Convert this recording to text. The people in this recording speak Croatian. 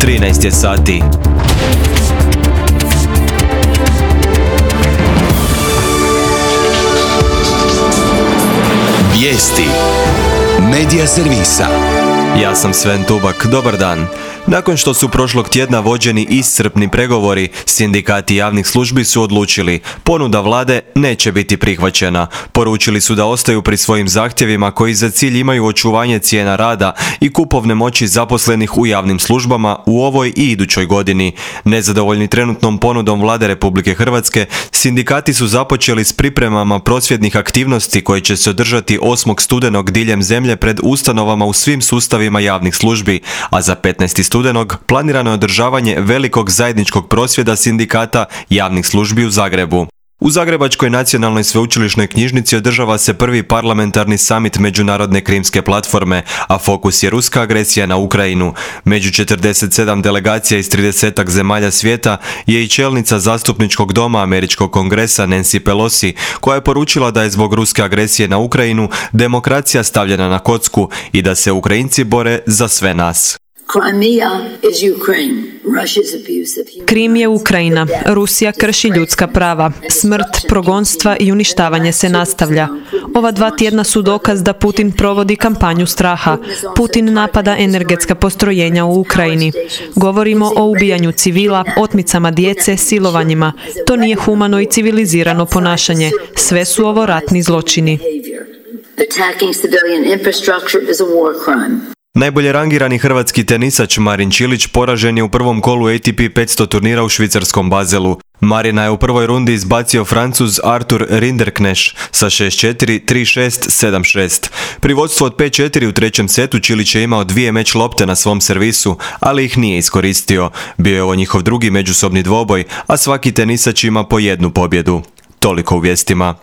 13 je sati. Vijesti Medija servisa. Ja sam Sven Tubak, dobar dan. Nakon što su prošlog tjedna vođeni iscrpni pregovori, sindikati javnih službi su odlučili, ponuda vlade neće biti prihvaćena. Poručili su da ostaju pri svojim zahtjevima koji za cilj imaju očuvanje cijena rada i kupovne moći zaposlenih u javnim službama u ovoj i idućoj godini. Nezadovoljni trenutnom ponudom vlade Republike Hrvatske, sindikati su započeli s pripremama prosvjednih aktivnosti koje će se održati 8. studenog diljem zemlje pred ustanovama u svim sustavima javnih službi, a za 15. studenog planirano je održavanje velikog zajedničkog prosvjeda sindikata javnih službi u Zagrebu. U Zagrebačkoj nacionalnoj sveučilišnoj knjižnici održava se prvi parlamentarni samit Međunarodne krimske platforme, a fokus je ruska agresija na Ukrajinu. Među 47 delegacija iz 30 zemalja svijeta je i čelnica zastupničkog doma Američkog kongresa Nancy Pelosi, koja je poručila da je zbog ruske agresije na Ukrajinu demokracija stavljena na kocku i da se Ukrajinci bore za sve nas. Krim je Ukrajina. Rusija krši ljudska prava. Smrt, progonstva i uništavanje se nastavlja. Ova 2 tjedna su dokaz da Putin provodi kampanju straha. Putin napada energetska postrojenja u Ukrajini. Govorimo o ubijanju civila, otmicama djece, silovanjima. To nije humano i civilizirano ponašanje. Sve su ovo ratni zločini. Najbolje rangirani hrvatski tenisač Marin Čilić poražen je u prvom kolu ATP 500 turnira u švicarskom Baselu. Marina je u prvoj rundi izbacio Francuz Arthur Rinderknech sa 6-4, 3-6, 7-6. Pri vodstvu od 5-4 u trećem setu Čilić je imao 2 meč lopte na svom servisu, ali ih nije iskoristio. Bio je ovo njihov drugi međusobni dvoboj, a svaki tenisač ima po 1 pobjedu. Toliko u vijestima.